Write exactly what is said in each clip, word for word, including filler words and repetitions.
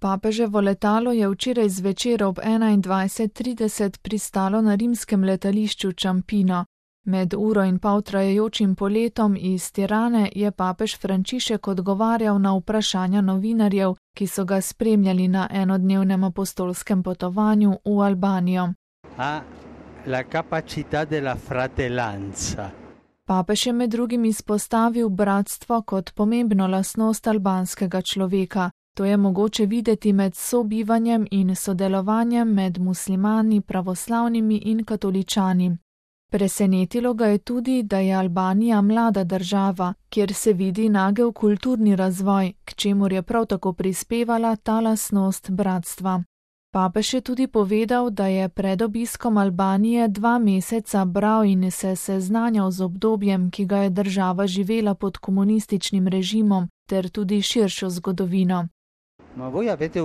Papeževo letalo je včeraj zvečer ob enaindvajset trideset pristalo na rimskem letališču Ciampino. Med uro in pol trajajočim poletom iz Tirane je papež Frančišek odgovarjal na vprašanja novinarjev, ki so ga spremljali na enodnevnem apostolskem potovanju v Albanijo. Ha la capacità della fratellanza. Papež je med drugim izpostavil bratstvo kot pomembno lastnost albanskega človeka. To je mogoče videti med sobivanjem in sodelovanjem med muslimani, pravoslavnimi in katoličani. Presenetilo ga je tudi, da je Albanija mlada država, kjer se vidi nagel kulturni razvoj, k čemur je prav tako prispevala ta lastnost bratstva. Papež je tudi povedal, da je pred obiskom Albanije dva meseca bral in se seznanjal z obdobjem, ki ga je država živela pod komunističnim režimom, ter tudi širšo zgodovino. Ma voi avete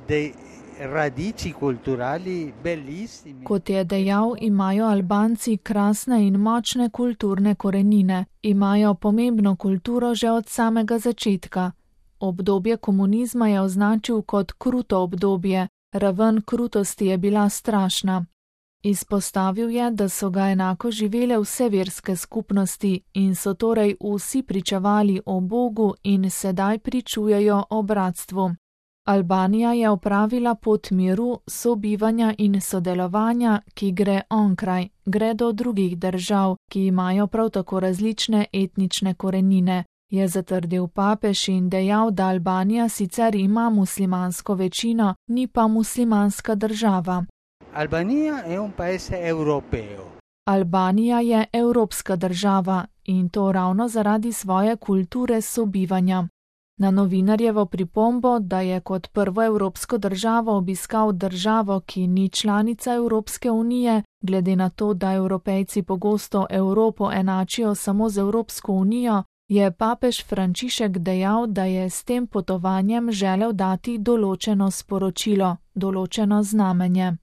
dei radici culturali bellissimi. Kot je dejal, imajo Albanci krasne in močne kulturne korenine, imajo pomembno kulturo že od samega začetka. Obdobje komunizma je označil kot kruto obdobje, raven krutosti je bila strašna. Izpostavil je, da so ga enako živele vse verske skupnosti in so torej vsi pričevali o Bogu in sedaj pričujejo o bratstvu. Albanija je opravila pot miru, sobivanja in sodelovanja, ki gre onkraj, gre do drugih držav, ki imajo prav tako različne etnične korenine, je zatrdil papež in dejal, da Albanija sicer ima muslimansko večino, ni pa muslimanska država. Albanija je un paese europeo. Albanija je evropska država in to ravno zaradi svoje kulture sobivanja. Na novinarjevo pripombo, da je kot prvo evropsko državo obiskal državo, ki ni članica Evropske unije, glede na to, da Evropejci pogosto Evropo enačijo samo z Evropsko unijo, je papež Frančišek dejal, da je s tem potovanjem želel dati določeno sporočilo, določeno znamenje.